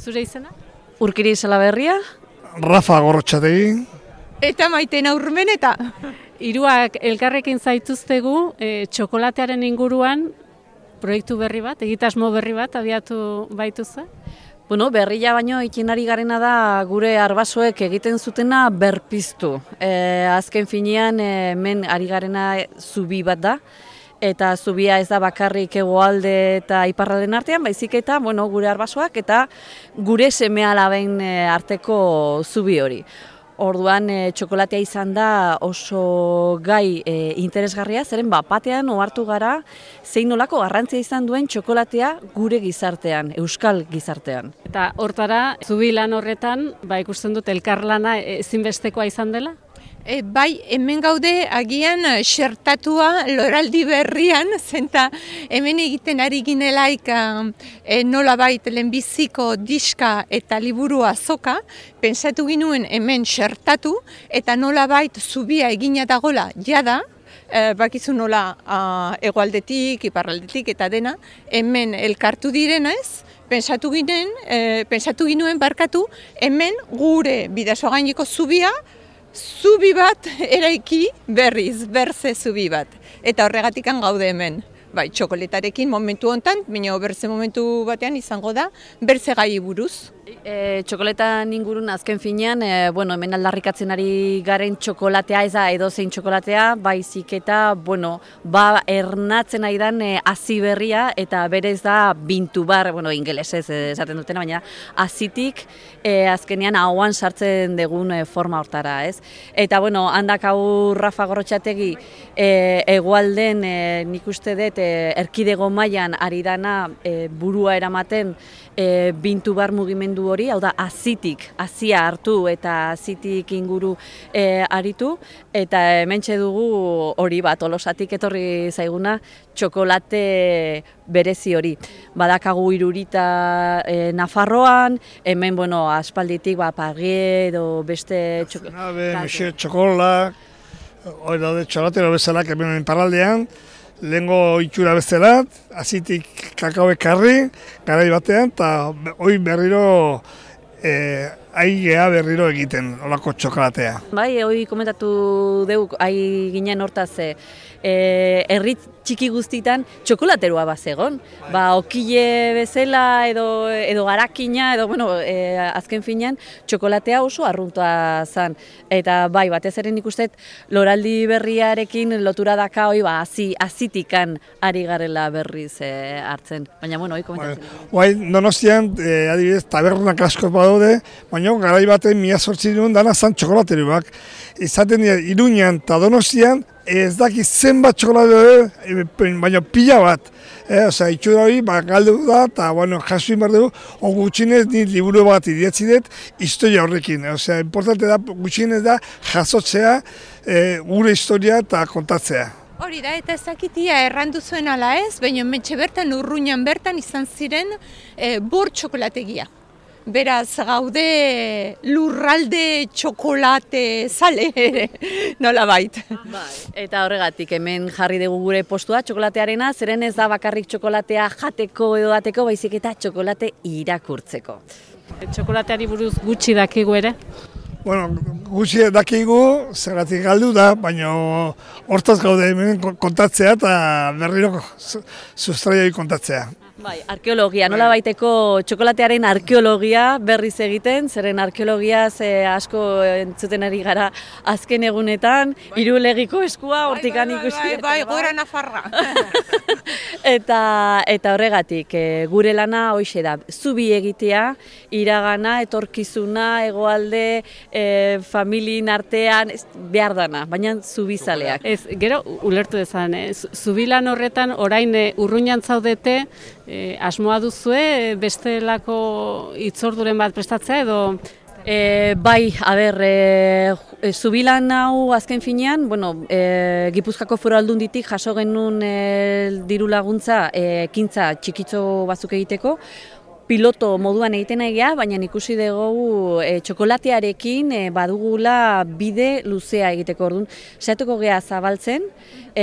Zure izena? Urkiri Salaberria. Rafa Gorrotxategi. Eta Maitena Urmeneta. Hiruak elkarrekin zaituztegu txokolatearen inguruan proiektu berri bat, egitasmo berri bat abiatu baituzu? Bueno, berria baino ikinari garena da gure arbasoek egiten zutena berpiztu. Azken finean hemen ari garena zubi bat da. Eta zubia ez da bakarrik hegoalde eta iparralden artean, baizik eta gure arbasoak eta gure seme-alaben arteko zubi hori. Orduan txokolatea izan da oso gai interesgarria, zeren batean ohartu gara zein nolako garrantzia izan duen txokolatea gure gizartean, euskal gizartean. Eta hortara, zubi lan horretan, ikusten dut elkarlana ezinbestekoa izan dela? Bai, hemen gaude agian xertatua loraldi berrian, zenta hemen egiten ari ginelaik nolabait lehenbiziko diska eta liburu azoka, pentsatu ginuen hemen xertatu eta nolabait zubia egina dagola jada, bakizu nola hegoaldetik, iparraldetik eta dena, hemen elkartu direnez, pentsatu ginuen hemen gure Bidasoagaineko zubia, zubi bat eraiki berriz, berze zubi bat. Eta horregatikan gaude hemen. Bai, txokoletarekin momentu hontan, baina berze momentu batean izango da, berze gai buruz. Txokoletan ingurun azken finean, hemen aldarrikatzen ari garen txokolatea ez da edozein txokolatea, baizik eta, ernatzen ari dan hazi berria eta berez da bintu bar, ingelesez esaten dutena, baina hazitik azkenean ahoan sartzen dugun forma hortara, ez? Eta, handak hau Rafa Gorrotxategi hegoalden nik uste dut erkidego mailan ari dana burua eramaten bintu bar mugimendu hori, hau da hazia hartu eta hazitik inguru aritu, eta hementxe dugu hori Tolosatik etorri zaiguna txokolate berezi hori. Badakagu Irurita Nafarroan, hemen aspalditik Pargue edo beste txokolak, hori daude txokolatero bezalak hemen parraldean, lehengo itxura bestelat, hazitik kakao ekarri, garai batean, eta hori berriro aigea berriro egiten, olako txokolatea. Bai, hori komentatu dugu, ginen hortaz, herri txiki guztitan txokolateroa bazegon. Okile bezala edo garakina, azken finean, txokolatea oso arruntua zen. Eta batez ere nik uste loraldi berriarekin lotura daka hazitikan ari garela berriz hartzen. Baina, hori komentatzen. Donostian, adibidez, tabernak asko badaude, baina garai baten 1800 dana zan txokolateroak. Izaten dira Iruñan eta Donostian, ez dakit zenbat txokolate, baina pila bat. Itxura hori, galdu da, eta jaso inbar dugu, gutxinez nint liburu bat idatzi dut, historia horrekin. Importante da, gutxinez da, jasotzea gure historia eta kontatzea. Hori da, eta ezakitia errandu zuen ala ez, baina mentxe bertan, Urruñan bertan izan ziren bor txokolategia. Beraz, gaude lurralde txokolate zale ere, nola bait. Eta horregatik, hemen jarri dugu gure postua txokolatearena, zeren ez da bakarrik txokolatea jateko edo dateko, baizik eta txokolate irakurtzeko. Txokolateari buruz gutxi dakigu ere? Gutxi dakigu, zergatik galdu da, baina hortaz gaude hemen kontatzea eta berriro sustraioi kontatzea. Arkeologia, nola baiteko txokolatearen arkeologia berriz egiten, zeren arkeologiaz asko entzuten ari gara azken egunetan, Irulegiko eskua, hortikan ikusi. Bai, gora Nafarra. Eta horregatik, gure lana hoxe da, zubi egitea, iragana, etorkizuna, hegoalde, familien artean, behar dana, baina zubizaleak. Gero, ulertu dezan, zubilan horretan orain Urruñan zaudete, asmoa duzue bestelako hitzorduren bat prestatzea edo? Zubilan hau azken finean, Gipuzkoako Foru Aldunditik jaso genuen diru laguntza ekintza txikitxo batzuk egiteko. piloto moduan egiten egia, baina ikusi dugu txokolatearekin badugula bide luzea egiteko. Orduan, saiatuko gea zabaltzen,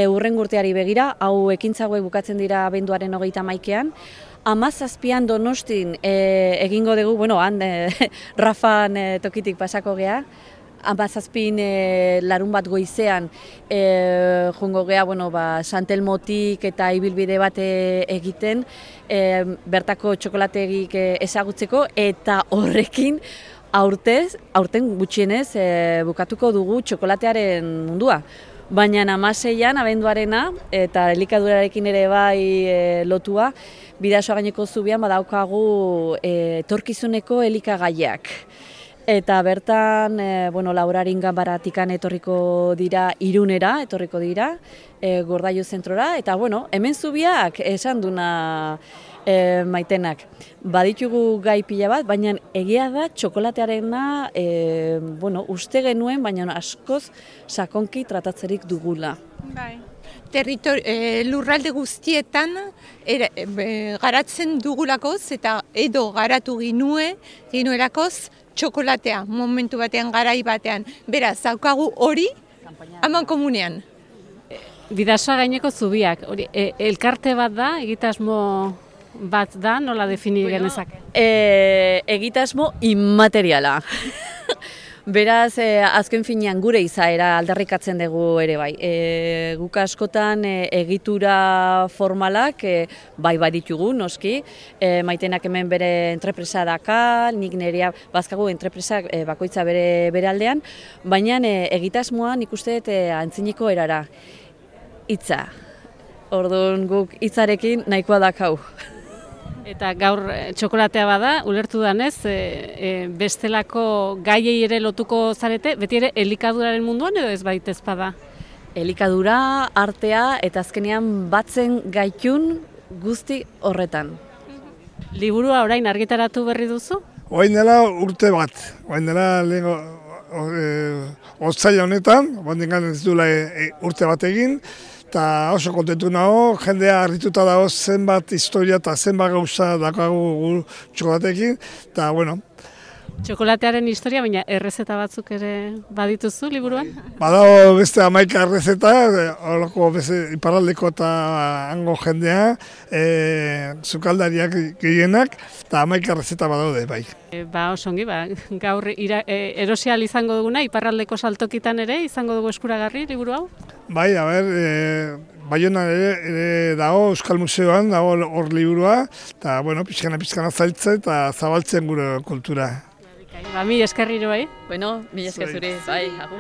hurrengo urteari begira, hau ekintza hauek bukatzen dira abenduaren 31ean. 17an Donostin egingo dugu, Rafan tokitik pasako gea. 17 larun bat goizean joango gea Santelmotik eta ibilbide bat egiten bertako txokolategik ezagutzeko, eta horrekin aurten gutxienez bukatuko dugu txokolatearen mundua. Baina 16an abenduarena eta elikadurarekin ere bai lotua, Bidasoa gaineko zubian badaukagu etorkizuneko elikagaiak. Eta bertan, Laurarin ganbaratikan etorriko dira Irunera, Gordailu zentrora, eta hemen zubiak esan duna Maitenak. Baditugu gai pila bat, baina egia da txokolatearena uste genuen, baina askoz sakonki tratatzerik dugula. Bai. Lurralde guztietan garatzen dugulakoz eta edo garatu ginuelakoz txokolatea, momentu batean, garai batean. Beraz, daukagu hori aman komunean. Bidasoa gaineko zubiak, elkarte bat da, egitasmo bat da, nola defini genezake? Egitasmo inmateriala. Beraz, azken finean gure izaera aldarrikatzen dugu ere bai. Guk askotan egitura formalak bai baditugu, noski. Maitenak hemen bere entrepresa daka, nik nerea bazkagu entrepresak bakoitza bere aldean, baina egitasmoa nik uste antziniko erara. Hitza. Orduan guk hitzarekin nahikoa dakau. Eta gaur txokolatea bada, ulertu danez, bestelako gaiei ere lotuko zarete, beti ere elikaduraren munduan edo ez baitez bada? Elikadura, artea eta azkenean batzen gaitun guzti horretan. Liburua orain argitaratu berri duzu? Orain dela urte bat, orain dela otsaila honetan, ez duela urte bat egin, eta oso kontentu nago, jendea harrituta dago zenbat historia eta zenbat gauza dakagu txokolatekin, eta Txokolatearen historia, baina errezeta batzuk ere badituzu liburuan? Badago beste 11 errezeta, horako iparraldeko eta hango jendea, sukaldariak gehienak, eta 11 errezeta badaude, bai. Osongi, gaur erosial izango duguna, iparraldeko saltokitan ere izango dugu eskuragarri liburu hau? Bai, Baionan ere dago Euskal Museoan, dago hor liburua, eta pixkana zailtzen eta zabaltzen gure kultura. Mila eskerriro bai? Mila esker zuri, bai.